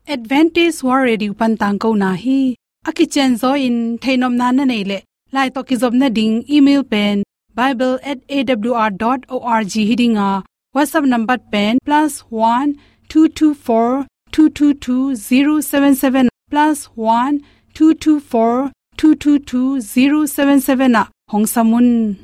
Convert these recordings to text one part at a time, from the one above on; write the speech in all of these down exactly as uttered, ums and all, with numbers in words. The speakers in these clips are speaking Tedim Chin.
Adventist World Radio pan tangkona hi. A kicianzaw in theihnopna na neih leh, lai tawh kizopna ding email pen bible at A W R dot org hi ding a, WhatsApp number pen plus one two two four two two two zero seven seven, plus one two two four two two two zero seven seven ah hong sam un.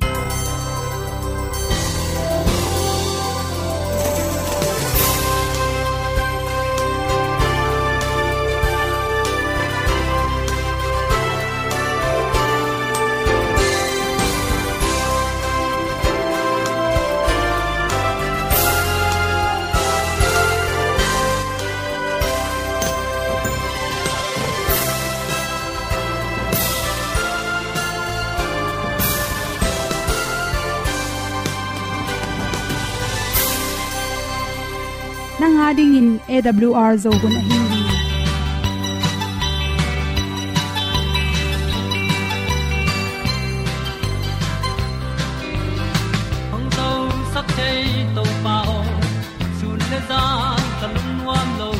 Nang a dingin A W R Zo hun ahi hi. Hong zosak thei Topa aw, sun le zan ka lungnuam lo.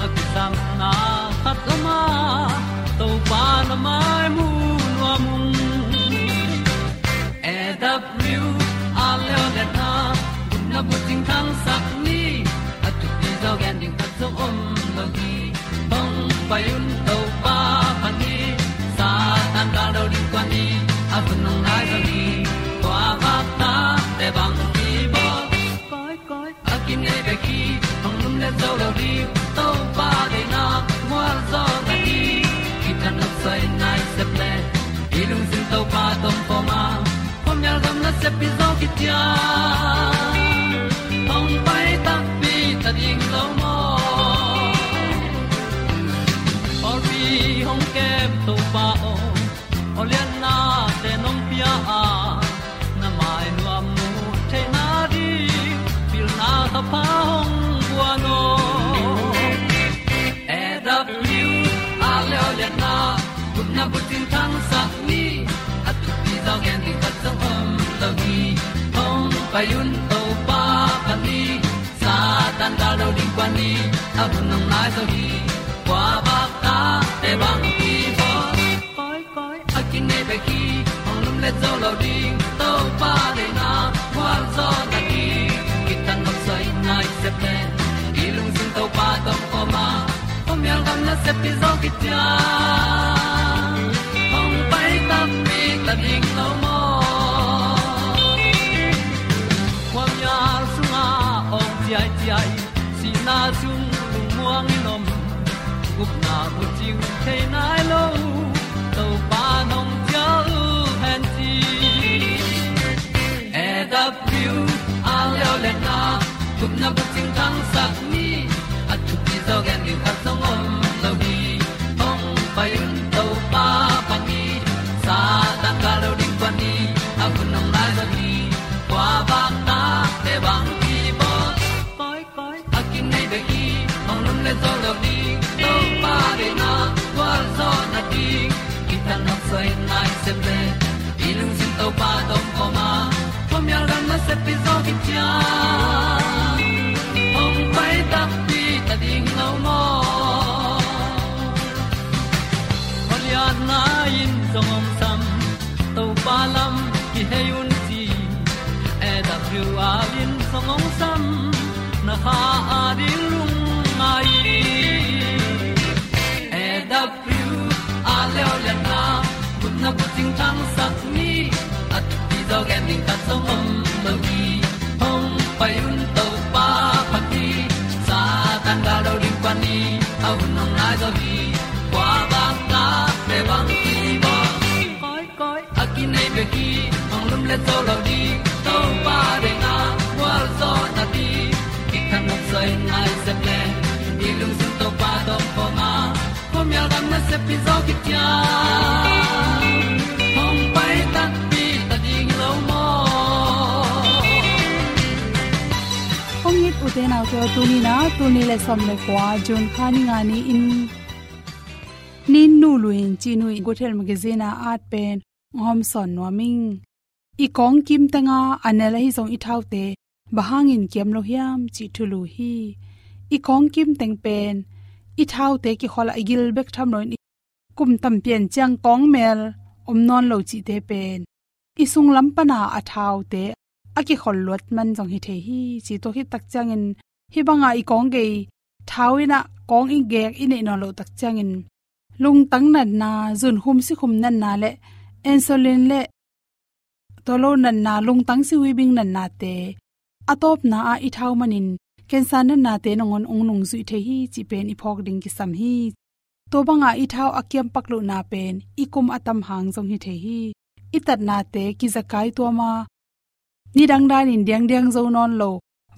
A kisapna khat om a, Topa na mai mu nuam ung. A W R Zo hun a, gupna bucing thangsak ni, a thupi zaw gen ding khat zong om lo hi. Hong pai un Topa phat ni, Satan gal do ding kuan ni, a hun hong nai zo hi. Kua vak ta te bang hi bawl. Koi, koi, a kinei bek hi, hong lumlet zo lo ding, Topa deihna mual zaw na hi. Kitang nok soi nai sep le, i lungsim Topa tawh om khawm a, khuamial gam nasep pi zaw kician, hong pai takpi ta ding lo maw. Pawlpi hong kem Topa aw, aw lianna te nong pia a, na mai nuam mu theihna ding, pilna thapha hong guan aw. A W R Zo hun a, gupna bucing thangsak ni, a thupi zaw gen ding khat zong om lo hi. Hong pai un Topa phat ni, Satan gal do ding kuan ni, a hun hong nai zo hi. Kua vak ta te bang hi bawl. Koi, koi, a kinei bek hi, hong lumlet zo lo ding, Topa deihna mual zaw na hi. Kitang nok soi nai sep le, i lungsim Topa tawh om khawm a, khuamial gam nasep pi zaw kician, hong pai takpi ta ding lo maw. Khuamial sungah awng ciaiciai, sihna sung lungmuang in om, gupna bucing thei nai lo, Topa nong cial hen ci. A W R Zo hun a, gupna bucing thangsak ni, a thupi zaw gen ding khat zong om lo hi. Hong pai un Topa phat ni, Satan gal do ding kuan ni, a hun hong nai zo hi. Kua vak ta te bang hi bawl. Koi, koi, a kinei bek hi, hong lumlet zo lo ding, Topa deihna mual zaw na ding. Kitang nok soi nai sep le, i lungsim Topa tawh om khawm a, khuamial gam nasep pi zaw kician, hong pai takpi ta ding lo maw. Khualiatna in zong hong sam, Topa lam kihei un ci. A W R in zong hong sam, na kha a ding lungngai. A W R Zo hun a, gupna bucing thangsak ni, a thupi zaw gen ding khat zong om lo hi. Hong pai un Topa phat ni, Satan gal do ding kuan ni, a hun hong nai zo hi. Kua vak ta te bang hi bawl. Koi, koi, a kinei bek hi, hong lumlet zo lo ding, Topa deihna mual zaw na ding. Kitang nok soi nai sep le, i lungsim Topa tawh om khawm a, khuamial gam nasep pi zaw kician, hong pai takpi ta ding lo maw. Hong it u te nau te aw, tuni in a, tul nih le sawm le kua, June kha ni nga ni-in, Nin Nu Lui In Cih Nu In, Guthel Magazine a at pen hong hawmsawn nuam ing. I kawng kim teng a a nel ahi zong i thaute, bang hangin kiam lo hiam cih thulu hi. I kawng kim teng pen i thaute kikhol a i gil bek tham loin i kum tam pian ciang kawng mel om nawn lo cihte pen i sunglam pana a thaute a kikhol luat man zong hi thei hi ci. Tua khit tak ciangin hih banga i kawng gei thau in ah kawng i gek i neih nawn loh tak ciangin lungtang natna, zunkhum sikhum natna le insulin le tua lo natna, lungtang sihuibing natnate a tawpna ah i thau manin cancer natnate nangawn ong nungzuih thei hi cih pen i phawk ding kisam hi. Tua banga i thau a kiampak lohna pen i kum a tam hang zong hi thei hi. I tatnate kizakai tuama nidang danin diangdiang zo nawn lo,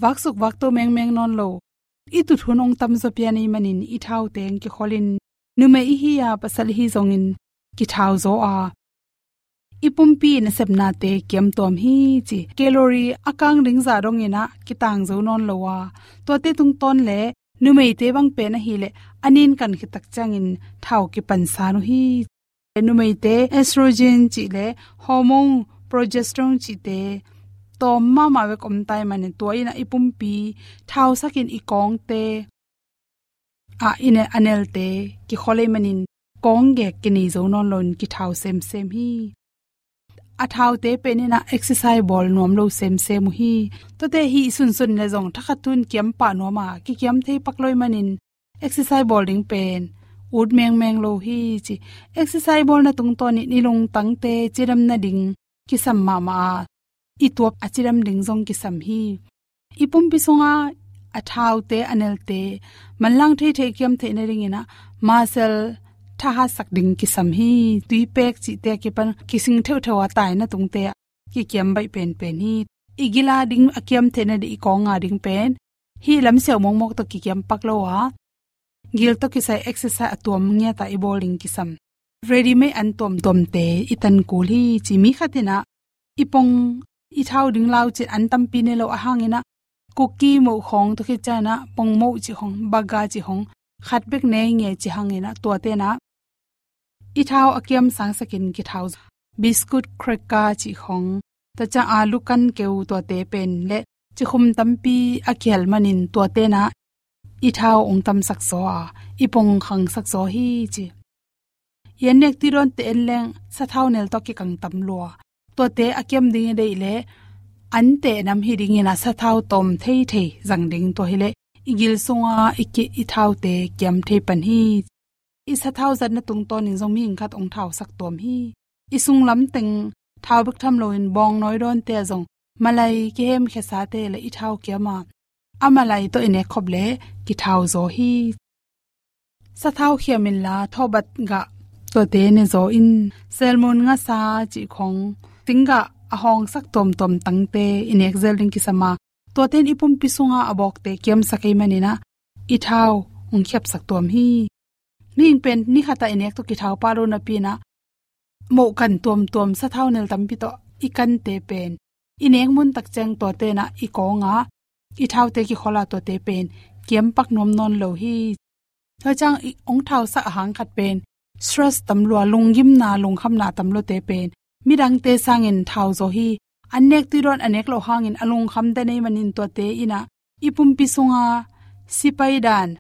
vaksuk vakto mengmeng nawn lo, i tut hun ong tamzaw pian i manin i thaute ong kikholin numei i hi a pasal i hi zongin kithau zaw a i pumpi nasepnate kiamtuam hi ci. Calorie a kang ding zah dongin ah kitang zo nawn lo a, tuate tungtawn le numeite bang pen ahileh a nin kan khit tak ciangin thau kipansan uh hi. Numeite estrogen cih le hormone progesterone cihte tawm mahmah bek om tai manin tua in ah i pumpi thausakin i kawngte ah i ne a nelte kikhol ei manin kawng gek kinei zo nawn loin kithau semsem hi. A thaute pen in ah exercise bawl nuam lo semsem uh hi. Tuate hih sunsun le zong thakhat tun kiam pah nuam a kikiam thei pak lo i manin exercise bawl ding pen ut mengmeng lo hi ci. Exercise bawlna tungtawnin i lungtangte cidam nading kisam mahmah a, i tuap a cidam ding zong kisam hi. I pumpi sunga a thaute a nelte manlang theithei kiam theih nadingin ah muscle thahatsak ding kisam hi. Tuipek cihte a kipan kising theuhtheuh a taina tungte ah kikiam baih penpen hi. I gila ding a kiam theih nading, i kawnga ding pen hih lamsiau mawkmawk tawh kikiam pak lo a, gil tawh kisai exercise a tuam ngiata i bawl ding kisam. Ready-made an tuamtuamte i tan kul hi ci. Mi khat in ah i pong i thau ding lau cin an tampi nei lo a hangin ah kuki moh khawng tua khit ciangin ah pong moh cih khawng, baga cih khawng khat bek nei nge ci hangin ah tuate in ah i thau a kiam sangsakin kithau zaw. Biscuit, cracker cih khawng, tua ciang alu kan keu tuate pen le cikhum tampi a kihel manin tuate in ah i thau ong tamsak zaw a, i pong khangsak zaw hi ci. I an nek tuidawnte en leng sathau nel tawh kikang tam lua. Tuate a kiam ding i deih leh an teh nam hi dingin ah sathau tawm theithei zang ding, tua hileh i gil sunga i ki, i thaute kiam thei pan hi. I sathau zatna tungtawnin zong mihing khat ong thausak tuam hi. I sunglam teng thau bek tham loin bawngnawi dawnte ah zong malai kihemkhiasate le i thau kiam a, a malai tawh i nek khop leh kithau zaw hi. Sathau khiam inla thawbat gah tuate ne zaw in, selmun, ngasa cih khawng, singgah a hawngsak tuamtuam tangte i nek zel ding kisam a, tuate in i pumpi sunga a bawkte kiamsak ei manin ah i thau ong khiapsak tuam hi. Mihing pen ni khat ah i nek tawh kithau pah lo napi in ah mohkan tuamtuam sathau nel tampi tawh i kante pen i nek mun tak ciang tuate in ah i kawng a, i thaute kikhol a, tuate pen kiam pak nuam nawn lo hi. Tua ciang i ong thausak a hang khat pen stress tam lua, lunggimna, lungkhamna tam luate pen midangte sangin thau zaw hi. An nek tuidawn a nek loh hangin a lungkham den ei manin tuate in ah i pumpi sunga si paidan,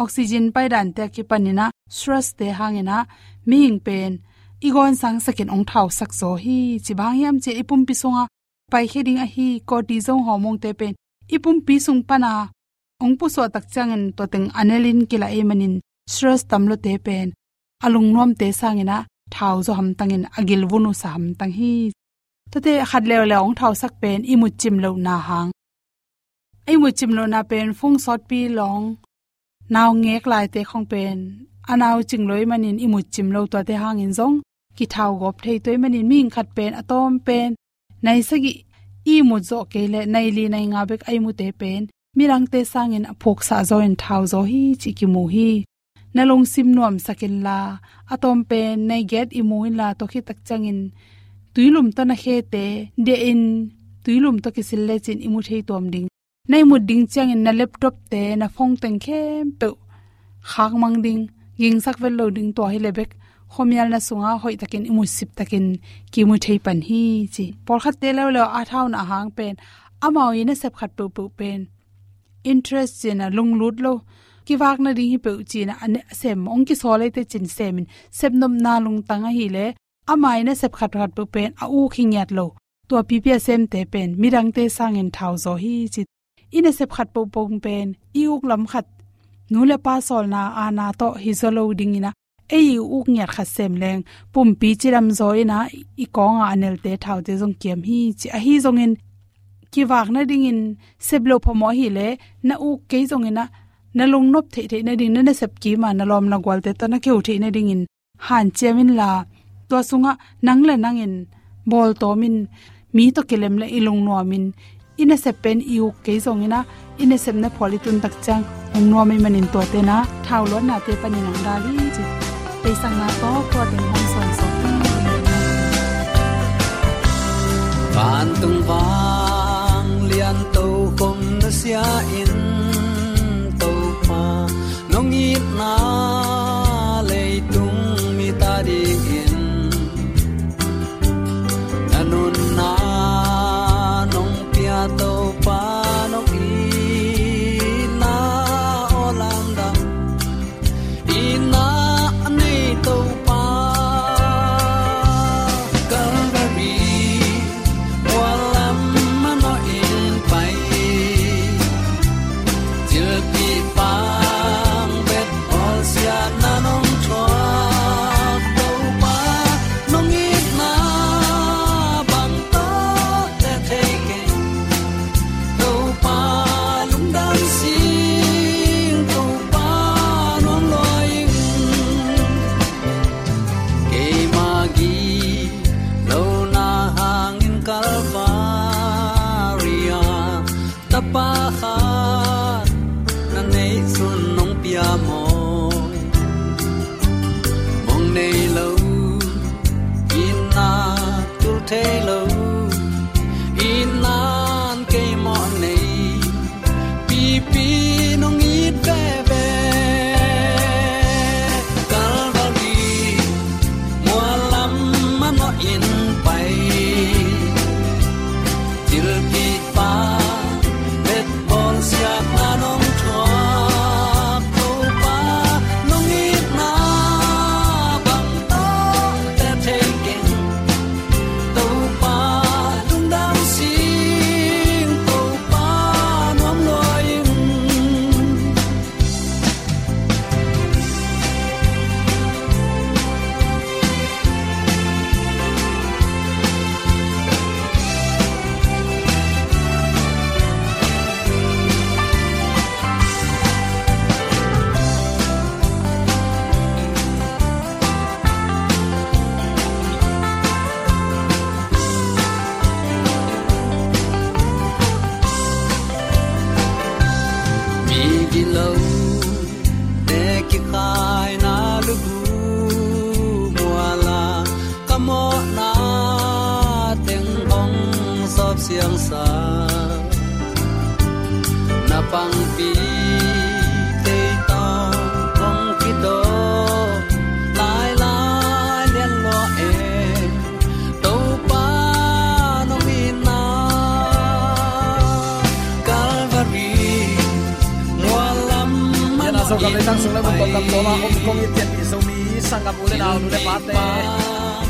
oxygen paidante a kipanin ah stress-te hangin ah mihing pen i gawn sangsakin ong thausak zaw hi. Ci bang hang hiam cih leh i pumpi sunga paikhia ding ahi cortisol hormone-te pen i pumpi sung pana ong pusuah tak ciangin tua teng a nelin kilah ei manin stress tam luate pen a lungnuamte sangin ah thau zaw hamtangin a gil vun uh sa hamtang hi. Tuate khat leuleu ong thausak pen i mut cim lohna hang. I mut cim lohna pen phung sawtpi lawng, nau ngek laite khawng pen a nau cing lo ei manin i mut cim lo, tuate hangin zong kithau gawp thei. Tua ei manin mihing khat pen a tawm pen nai sagih i mut zawh kei leh nai li nai nga bek a i mute pen midangte sangin a phuksah zaw in thau zaw hi cih kimu hi. Na lungsim nuamsak inla, a tawm pen nai giat i mu inla, tua khit tak ciangin tuilum tawh na khete dehin tuilum tawh kisil lecin i mu thei tuam ding. Na i mut ding ciangin na laptop-te, na phone teng khempeuh khakmang ding, gingsak vet lo ding, tua hileh bek khuamialna sunga hoihtakin i mutsip takin kimu thei pan hi ci. Pawlkhatte leuleu a thauna a hang pen amau i nasep khat peuhpeuh pen interest cih na lunglut lo, kivak nading hi peuh ci-in a, a sem, hong kisawl ei teh ci-in semin, sepnopna lungtang ahih leh, ama in a sep khatkhat peuh pen a uk hi ngiat lo. Tua pipi a semte pen midangte sangin thau zaw hi ci. I nasep khat pohpoh pen i uk lam khat, nu le pa sawlna aana tawh hi zaw lo dingin a, ei i uk ngiat khat sem leng pumpi cidam zaw in a, i kawngah a nelte thaute zong kiam hi ci. Ahi zongin kivak nadingin sep loh phamawh ahih leh, na uk kei zongin a, na lungnop theihtheih nading, na nasep kim a na lawm na gualte tawh na keu theih nadingin hanciam inla, tua sungah nang le nangin bawltawmin, mi tawh kilem le i lungnuamin, i nasep pen i uk kei zongin a, i nasepna phual i tun tak ciang hong nuam ahih manin tuate na thau luatnate panin hong dal hi ci. Teisanna tawh tua teng hong sawn sawk. Vantung vanglian tokhom na sia in, Topa, nong itna leitung mite adingin na nunna nong pia, Topa, nong itna aw lamdang. Itna nei Topa, Calvary mual lam manawhin pai, thilpih pang bet bawlsiatna nong thuak, Topa, nong itna bang tawh teh thei keng. Topa lungdam sing, Topa nuam lua ing. Keima gilo na hangin Calvary ah Tapa khat na neihsun nong pia maw? Mong nei lo, itna tul thei lo, itna in kei mawh nei, pipi nong it veve. Calvary mual lam manawhin pai, thilpih pang bet bawlsiatna nong thuak, Topa, nong itna bang tawh teh thei keng. Topa lungdam sing, Topa nuam lua ing. Migilote kikhaina lugu mual ah ka mawhna teng hong sawp siangsa. Na pangpi tei tawh kong kidawm lailai lian lua e. Topa nong itna Calvary mual lam manawhin pai. Sung le mun tawh kam tawla om kong it pian i Zomi sanggam u le nau, nu le pate,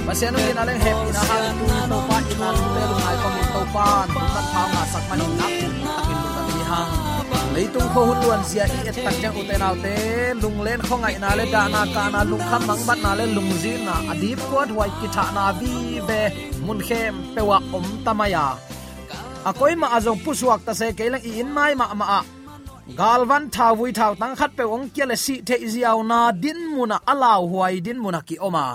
Pasian hong itna le hehpihna hangin tuni Topa itna lungte lungngai kawmin Topa nong nat phau ngahsak manin nak takin lungdam hi hang. Leitung khua hun luanzia i et tak ciang ute naute, lunglen khuangaihna le dahna kahna, lungkham mangbatna le lungzinna, a dipkuathuai kithahna vive mun khempeuh ah om ta mai a, a koimah ah zong pusuak ta se kei leng i inn mai mahmah ah galvan thauvui thautang khatpeuh hong kia le sih theih ziauna dinmun ah, a lauhuai dinmun ah ki-om a,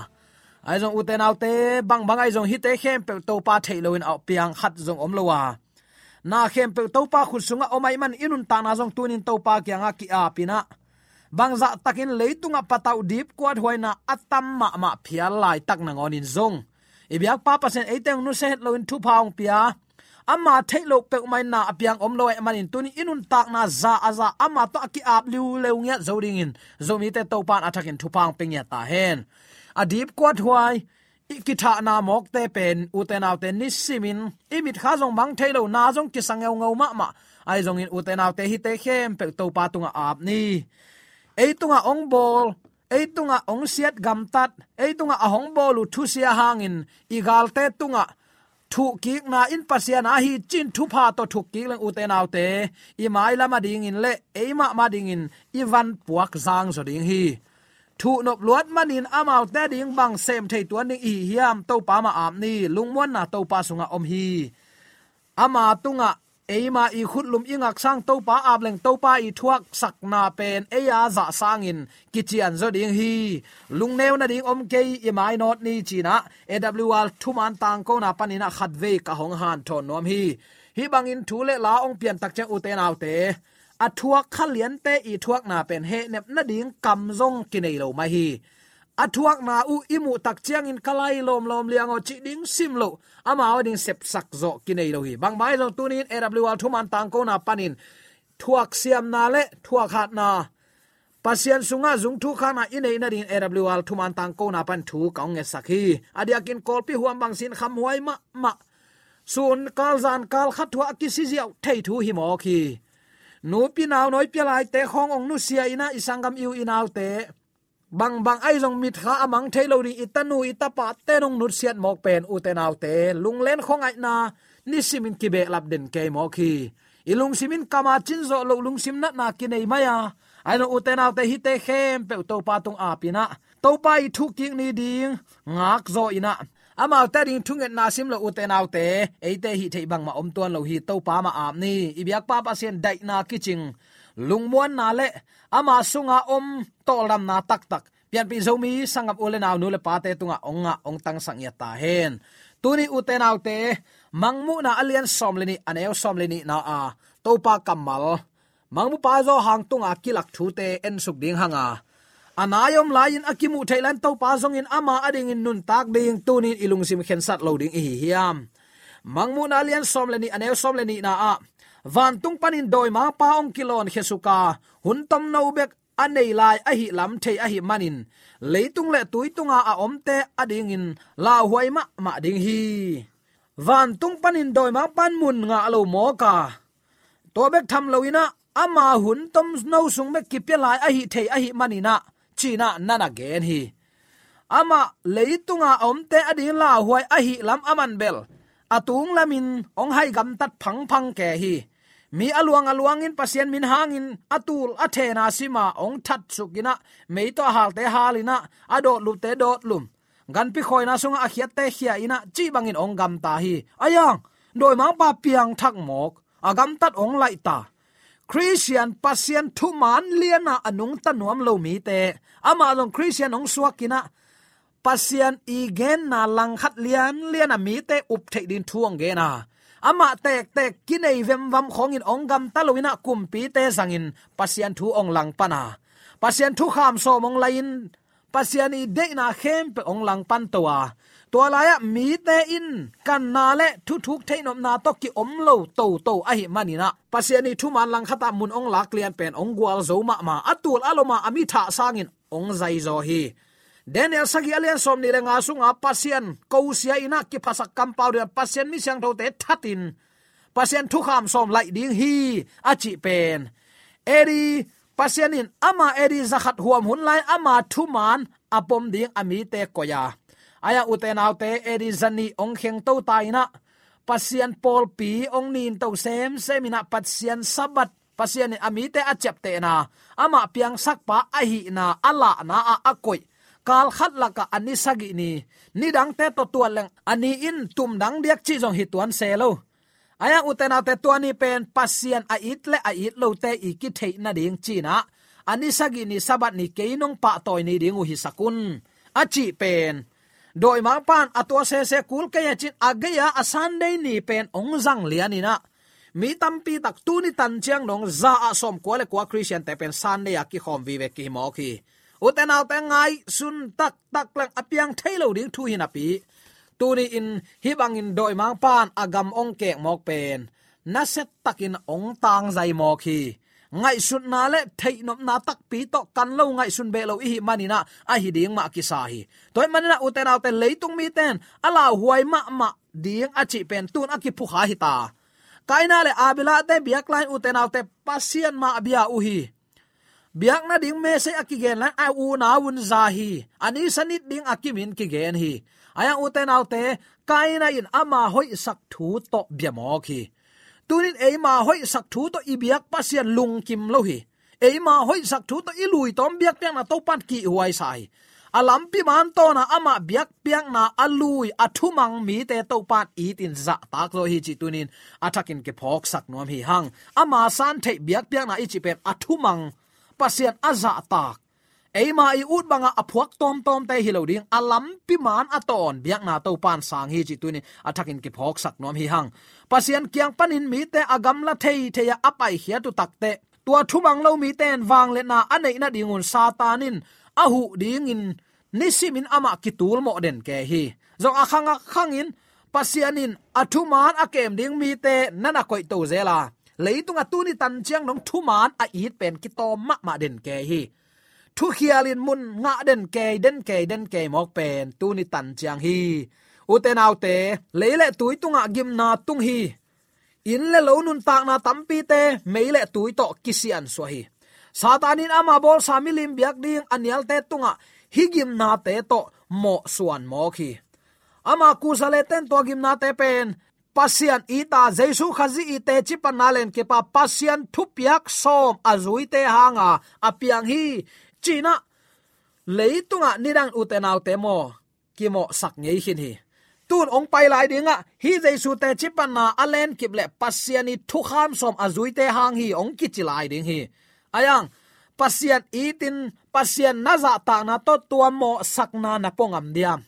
ahi zong ute naute, bangbang ahi zong hihte khempeuh Topa theih loin a piang khat zong om lo a, na khempeuh Topa khut sungah om ahih man i nuntakna zong tunin Topa kiangah ki-ap in ah, bangzah takin leitungah patauh dipkuathuaina a tam mahmah phial laitak nangawnin zong i biakpa Pasian eite hong nusia het loin thupha hong pia, ama theih loh peuhmah in na a piang om lo ahih manin tunin i nuntakna za a za ama tawh a ki-ap liuleu ngiat zo dingin Zomite Topa in a thakin thupha hong pia ngiat ta hen. A dipkuathuai i kithahna mawkte pen ute naute nisimin i mitkha zong mang thei lo, na zong kisa ngeungeu mahmah. Ahi zongin ute naute, hihte khempeuh Topa tungah ap ni. ei tungah hong bawl, ei tungah hong siat gamtat, ei tungah a hong bawl uh thusia hangin i galte tungah thuhkikna in Pasian a hi cin thupha tawh thukkik leng, ute naute, i mailam a dingin le ei mahmah dingin i van puak zang zaw ding hi. Thuhnop luat manin amaute a ding bang sem thei tuan ding i hi hiam? Topa mah ap ni. Lungmuanna Topa sungah om hi. Ama tungah eima i khutlum i ngaksang Topa ap leng, Topa i thuaksakna pen ei a zah sangin kician zaw ding hi. Lungneu nading om kei, i mainawt ni, cinah A W R thuman tangkona paninah khatvei ka hong hanthawn nuam hi. Hih bangin thu le la hong piantak ciang, ute naute, a thuak kha liante i thuakna pen hehnep nading kam zong kinei lo mah hi. A thuakna uh i muhtak ciangin ka lai lawmlawm liang aw cih ding sim loh, amau a ding sepsak zawh kinei lo hi. Bangmah hi zong tunin A W R thuman tangkona panin thuaksiamna le thuakhatna, Pasian sungah zung thukhana i neih nadingin A W R thuman tangkona pan thu ka hong ngetsak hi. A diakin Kawlpi huam bangsin khamhuai mahmah, sun kal zan kal khat thuah a kisiziau thei thu hi mawk hi. Nupi nau nawi pia laite khawng hong nusia inah, i sanggam i u i naute, bangbang ahi zong mitkha a mang thei lo ding i tanu i tapate nong nutsiat mawk pen, ute naute, lunglen khuangaihna nisimin kibehlap den kei mawk hi. I lungsimin kama cin zawh loh lungsim natna kinei mai a, ahi zong ute naute, hihte khempeuh Topa tung apinah, Topa i thuhkik ni ding ngak zaw inah, amaute a ding thungetna sim loh, ute naute, eite hih theih bangmah om tuan lo hi. Topa mah ap ni. I biakpa Pasian daihna kicing, lungmuanna le ama sunga om tawldamna taktak pianpih Zomi sanggam u le nau, nu le pate tungah hong ngah hong tangsak ngiat ta hen. Tuni ute naute, Mangmuhna a lian sawm le nih, a neu sawm le nihna a Topa kammal, Mangmupa Johan tunga kilak thute ensuk ding hang a, a nai om lai-in a kimuh theih lai-in Topa zongin ama a dingin nuntak ding tunin i lungsim khensat lo ding i hi hiam? Mangmuhna a lian sawm le nih, a neu sawm le nihna ah, vantung panin dawimangpa hong kilawn khiasuk a, hun tomno bek a nei lai ahih lam thei ahih manin, leitung le tui tunga a omte a dingin lauhuai mahmah ding hi. Vantung panin dawimangpan mun ngah lo mawk a, tua bek tham loinah ama hun tomno sung bek kipia lai ahih thei ahih maninah, cinah na na gen hi. Amah leitunga a omte a ding lauhuai ahih lam a man bel, a tung lamin hong hai gamtat phangphang ke hi. Mi a luang a luangin Pasian min hangin a tul a thena sima hong thatsukinah, mei tawh a halte halinah, a dawtlupte dawtlum, ganpi khawina sungah a khiatte khia inah, cih bangin hong gamta hi. A yang, dawimangpa piangthak mawk, a gamtat hong laihta. Khristian Pasian thuman liana a nungta nuam lo mite, amah zong Khristian hong suakinah, Pasian i genna langkhat lianliana mite up theih ding thu hong gen a, amah tektek kinei vemvam khawngin hong gamta loinah, kumpite zangin Pasian thu hong langpan a, Pasian thukham sawm hong lai-in, Pasian i deihna khempeuh hong langpan to a, tua lai-ah mite in kanna le thuthuk theihnopna tawh kiom lo toto ahih maninah, Pasian i thuman langkhatah mun hong lak lian pen hong gualzo mahmah, a tul a lom a, a mi thah sangin hong zaizaw hi. Daniel sagih a lian sawm nih le nga sunga Pasian kosia inah, kiphasak kampau dinah Pasian mi siangthote thatin Pasian thukham sawm laih ding hi a cih pen, A D, Pasian in ama A D zakhat huam hun lai ama thuman a pom ding a mite koih a, a yang, ute naute, A D zanih hong khengto ta inah, Pasian pawlpi hong ninto semsem inah, Pasian Sabbath, Pasian in a mite a ciaptehna, amah piangsakpa ahihna a lahna ah a koih, kalkhat lakah a ni sagih ni, nidangte tawh tuat leng a ni in tumdang diak cih zong hi tuan se lo. A yang, ute naute, tua ni pen Pasian a it le a it lote i kitheih nading cinah, a ni sagih ni Sabbath ni kei nong pahtawi ni ding uh hisak un a cih pen, dawimangpan a tua sese kul kei a cin a gei-a a Sunday ni pen hong zang lianinah, mi tampi tak tuni tan ciang dong za ah sawmkua le kua Khristiante pen Sunday a kikhawm vive kihi mawk hi. Ute naute, ngaihsun taktak leng a piang thei lo ding thu hi napi, tuni-in hih bangin dawimangpan a gam hong kek mawk pen nasiatakin hong tangzai mawk hi. Ngaihsutna le theihnopna takpi tawh kan lo, ngaihsun beh lo i hih maninah, ahi ding mah kisa hi. Tua hih maninah, ute naute, leitung mite in a lauhuai mahmah ding a cih pen tun a kiphukha hita. Kaina le Abelahte biakla in, ute naute, Pasian mah a bia uh hi. biakna ding message a kigen lai a unau un za hi. A ni sanit ding a kimin kigen hi. Ahi hang ute naute, Kaina in ama hoihsak thu tawh bia mawk hi. Tunin eima hoihsak thu tawh i biak Pasian lungkim lo hi. Eima hoihsak thu tawh i lui tawm biakpiakna Topa'n kihhuai sa hi. A lampi man tawna ama biakpiakna a lui a thumang mite Topa'n itin zahtak zaw hi cih tunin a thakin kiphawksak nuam hi hang. Ama san theih biakpiakna i cih pen a thumang, Pasian a zahtak, eima i ut banga a phuak tawmtawmte hi lo ding, a lampi man a tawn biakna Topa'n sang hi cih tunin a thakin kiphawksak nuam hi hang. Pasian kiang panin mite a gamla theithei a a paikhiat uh takteh, tua thumang lo mite in vangliatna a neih nadingun Satan in a huh dingin nisimin amah kitulmawh den kei hi. Zong a khang a khangin Pasian in a thuman a kem ding mite na na koihto zel a, leitungah tuni tan ciang dong thuman a it pen kitawm mahmah den kei hi. Thukhial in mun ngah den kei, den kei, den kei mawk pen tuni tan ciang hi. Ute naute, lei le tui tungah gimna tung hi. Inn le lo nuntakna tampite mei le tui tawh kisiansuah hi. Satan in ama bawlsa milim biak ding a nialte tungah hih gimnate tawh mawhsuan mawk hi. Ama kusa le ten tua gimnate pen Pasian ita, Jesu Khazih i teci panna lenkip a, Pasian thupiak sawm a zuite hanga a piang hi. Cinah leitungah nidang ute naute maw, kimawhsak ngei khin hi. Tun hong pai lai dingah hih Jesu teci panna a lenkip le Pasian i thukham sawm a zuite hang hi hong kici lai ding hi. Ahi hang, Pasian itin Pasian na zahtakna tawh tua mawhsakna na pua ngam diam?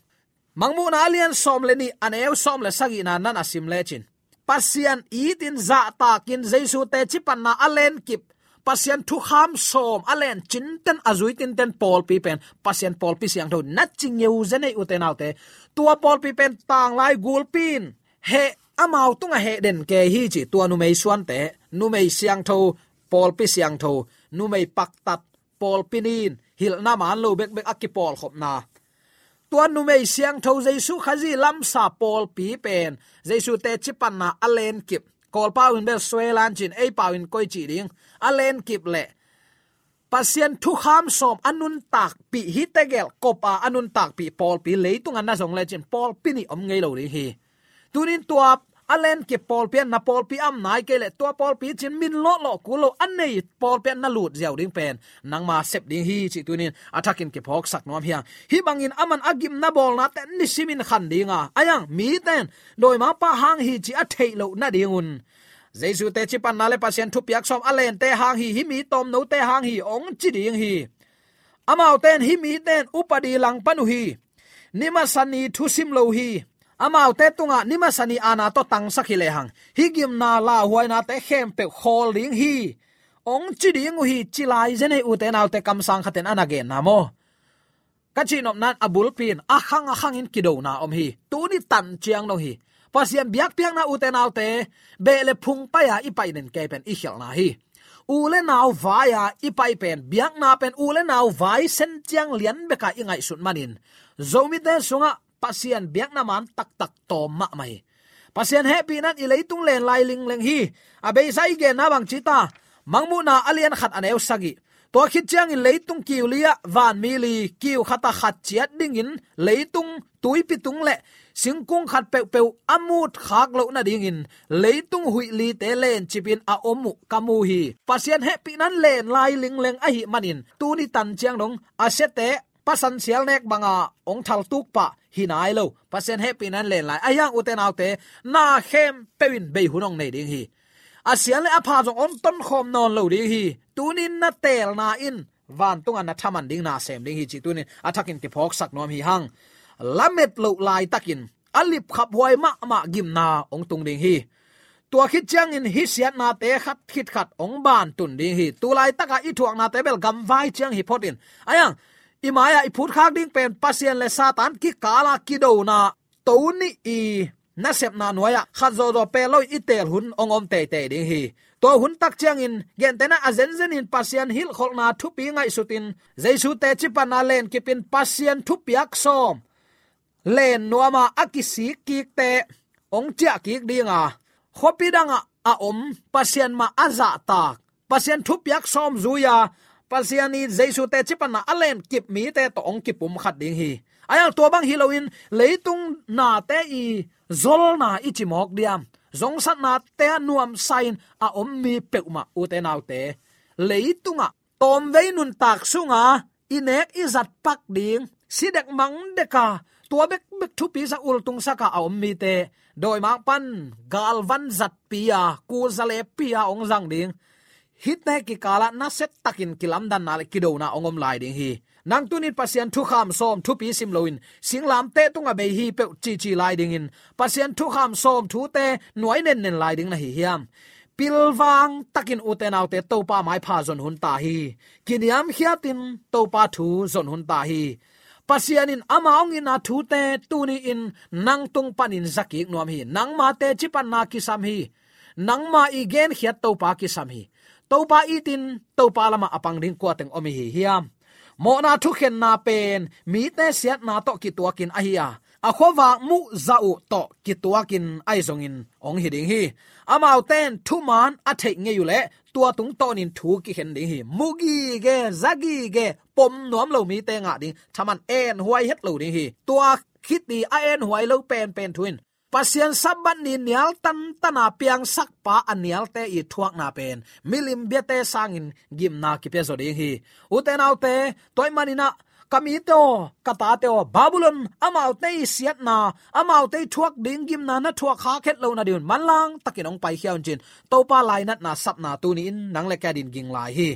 Mangmuhna a lian sawm le nih a neu sawm le sagihna nan a sim lecin, Pasian itin zahtakin Jesu teci panna a lenkip, Pasian thukham sawm a len cinten a zui tinten pawlpi pen Pasian pawlpi siangtho na ci ngeu zenei ute naute. Tua pawlpi pen tanglai gulpi in heh, amau tungah heh den kei hi ci. Tua numei suante, numei siangtho, pawlpi siangtho, numei paktat, pawlpi nin hilhna man lo bekbek a kipawlkhopna, tua numei siangtho Jesu Khazih lamsa pawlpi pen Jesu teci panna a lenkip, Kawlpau in bel suelan cin, eipau in koi cih ding, a lenkip le Pasian thukham sawm a nuntakpih, hih tegel kopa a nuntakpih pawlpi leitunga na zong lecin pawlpi nih om ngei lo ding hi. Tunin tua a lenkip pawlpi an na pawlpi am nai kei le tua pawlpi cin min lawhlawh kul lo a nei pawlpi an na lut ziau ding pen nangma sep ding hi cih tunin a thakin kiphawksak nuam hi hang. Hih bangin aman a gimna bawlnate nisimin khan dinga, ahi hang miten dawimangpa hang hi cih a theih loh nadingun Jesu teci panna le Pasian thupiak sawm a lente hang hi, hih mi tawmnote hang hi hong ci ding hi. Amaute in hih mite in upadi langpan uh hi. Ni masa ni thusim lo hi. Amaute tungah ni masa ni aana tawh tangsak hi lehang hih gimna lauhuainate khempeuh khawl ding hi hong ci ding uh hi, ci lai zenei ute naute kamsang khatin a na genna maw? Ka cihnopna in a bulpi in a khang a khangin kidona om hi. Tuni tan ciang dong hi. Pasian biakpiakna ute naute, beh le phung pai-a i pai den kei pen i khialhna hi. U le nau vai-a i pai pen, biakna pen u le nau vai sen ciang lian beka i ngaihsut manin Zomite sungah Pasian biakna man taktak tawm mahmah hi. Pasian hehpihna in i leitung len lai lingleng hi. A beisa i genna bang ci ta, Mangmuhna a lian khat a neu sagih. Tua khit ciangin leitung kiu li-ah vanmi li, kiu khatah khat ciat dingin leitung tuipi tung le singkung khat peuhpeuh a mut khak loh nadingin leitung huih lite lencipin a om uh ka mu hi. Pasian hehpihna in len lai lingleng ahih manin tuni tan ciang dong a siate pasan sial nek banga hong thaltuk pah hi nai lo. Pasian hehpihna in len lai. Ahi hang ute naute, na khempeuh in bei hun hong nei ding hi. A sial le a pha zong hong tonkhawm nawn lo ding hi. Tunin na teelna in vantunga na thaman ding, na sem ding hi cih tunin a thakin kiphawksak nuam hi hang. Lamet loh laitakin a lipkhaphuai mahmah gimna hong tung ding hi. Tua khit ciangin hih siatnate khat khit khat hong bantun ding hi. Tulaitaka i thuaknate bel gamvai ciang hi photin, ahi hang i mai-ah i phutkhak ding pen Pasian le Satan kikala kidona to nih i nasepna nuai-ah khat zawzaw peel lo i teel hun hong om teitei ding hi. Tua hun tak ciangin gentehna a zenzenin Pasian hilhkholhna thupi ngaihsutin Jesu teci panna lenkipin Pasian thupiak sawm len nuama a kisik kikte hong ciah kik dinga, khuapi dangah a om Pasian mah a zahtak, Pasian thupiak sawm zui-a Pasian i Jesu teci panna a lenkip mite tawh hong kipumkhat ding hi. Ahi hang tua bang hi loin leitung nate i zolna i ci mawk diam, zongsatnate a nuamsa-in a om mi peuhmah, ute naute, leitungah tawmvei nuntak sunga i nek i zat pak ding, si dek mang deka, tua bekbek thupi sa, ultung saka a om mite, dawimang pan galvan zatpi-a, kul zalepi-a hong zang ding, hihte kikalah nasia takin kilamdanna le kidona hong om lai ding hi. Nang tuni-in Pasian thukham sawm thupi sim loin singlamteh tungah bei hi peuh cici lai dingin, Pasian thukham sawm thute nuai nennen lai ding na hi hiam? Pilvang takin, ute naute, Topa maipha zon hun ta hi. Kiniamkhiatin Topa thu zon hun ta hi. Pasian in ama hong itna thute tuni-in nang tung panin zakik nuam hi. Nangma teci panna kisam hi. Nangma i genkhiat Topa kisam hi. Topa itin Topa lamah a pang ding kua teng om i hi hiam? Mawhna thukhenna pen mite siatna tawh kituakin ahi a, a khuavak muh zah uh tawh kituakin ahi zongin hong hi ding hi. Amaute in thuman a theih ngei uh leh tua tungtawnin thu kikhen ding hi. Mu gige, za gige, pom nuam lo mite ngah ding, thaman enhuai het lo ding hi. Tua khit i a enhuai lo penpen thu in Pasian Sabbath ni nial tantana piangsakpa a nialte i thuakna pen milim biate sangin gimna kipia zaw ding hi. Ute naute, tua ahih manin ah, ka mite aw, ka tate aw, Babylon amaute i siatna, amaute i thuak ding gimna na thuak khak het lo nadingun manlang takin hong paikhia un ci-in Topa lainatna sapna tuni-in nang le kei adingin ging lai hi.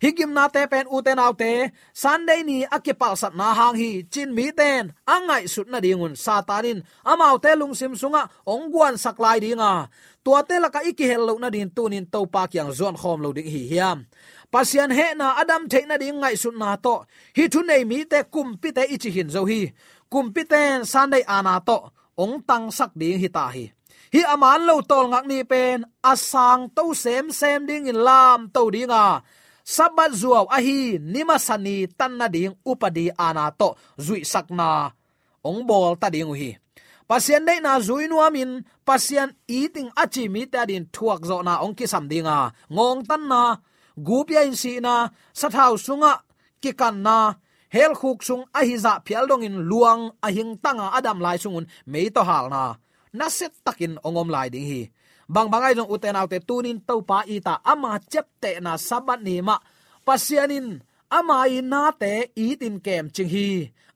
Hih gimnate pen, ute naute, Sunday ni a kipalsatna hang hi ci-in mite in a ngaihsut nadingun Satan in amaute lungsim sungah hong guansak lai ding a, tuate lakah i kihel loh nadingin tuni-in Topa kiang zuan khawm lo ding i hi hiam? Pasian hehna a dam theih nading ngaihsutna tawh hih thunei mite kumpite i ci khin zo hi. Kumpite in Sunday aana tawh hong tangsak ding hi ta hi. Hih a man lo tawlngak ni pen a sangto semsem dingin lamto ding a, Sabbath zuau ahi ni masa ni tan nading upadi aana tawh zuihsakna hong bawl ta ding uh hi. Pasian deihna zui nuamin Pasian it ing a ci mite adingin thuakzawhna hong kisam ding a, ngawngtanna, gupia in sihna, sathau sungah kikanna, helkhuk sung ahi zah phial dongin luang a hingtanga a dam lai sungun mei tawh halna nasia takin hong om lai ding hi. Bangbang ahi zong, ute naute, tuni-in Topa it a, ama ciaptehna Sabbath ni mah Pasian in ama i nate itin kemcing hi.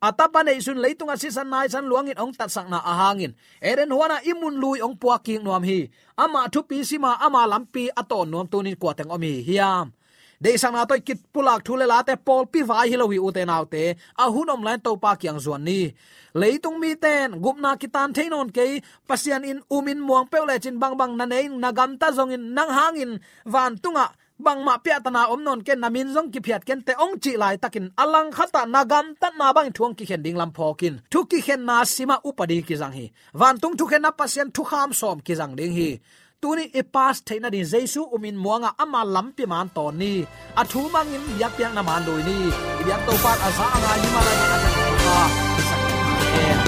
A tapa neihsun leitungah sisan naisan luangin hong tatsakna a hangin Eden huanah i mun lui hong puak kik nuam hi. Amah thupi sima, ama lampi a tawn nuam tuni-in kua teng om i hi hiam? Deihsakna tawh i kipulak thu le late pawlpi vai hi lo hi, ute naute. A hun om lai-in Topa kiang zuan ni. Leitung mite in gupna kitan thei nawn kei, Pasian in umin muang peuh lecin bangbang na nei, na gamta zongin nang hangin vantungah bangmah piahtana om nawn kei, na min zong kiphiat kei inteh hong cih laitakin a langkhatah na gamtatna bangin thu hong kikhen ding lam phawk in. Thu kikhenna simah upadi kizang hi. Vantung thukhenna Pasian thukham sawm kizang ding hi. Tuni i pass theih nading Jesu umin muangah ama lampi man tawn ni. A thu mangin biakpiakna man lui ni. I biak Topa in a za a ngai ni mah lai-in a za a ngai ni mah lai-in.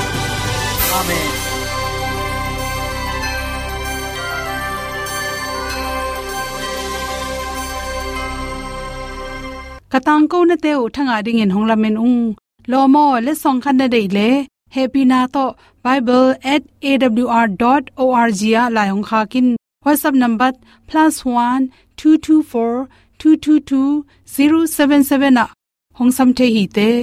Amen. Ka tangkonate uh thangah dingin hong lamen ung. Lawm aw, letsong khat na deih leh, hehpihna tawh bible at A W R dot O R G ah lai hong khak in. WhatsApp number plus one two two four two two two zero seven seven ah hong sam thei hi teh.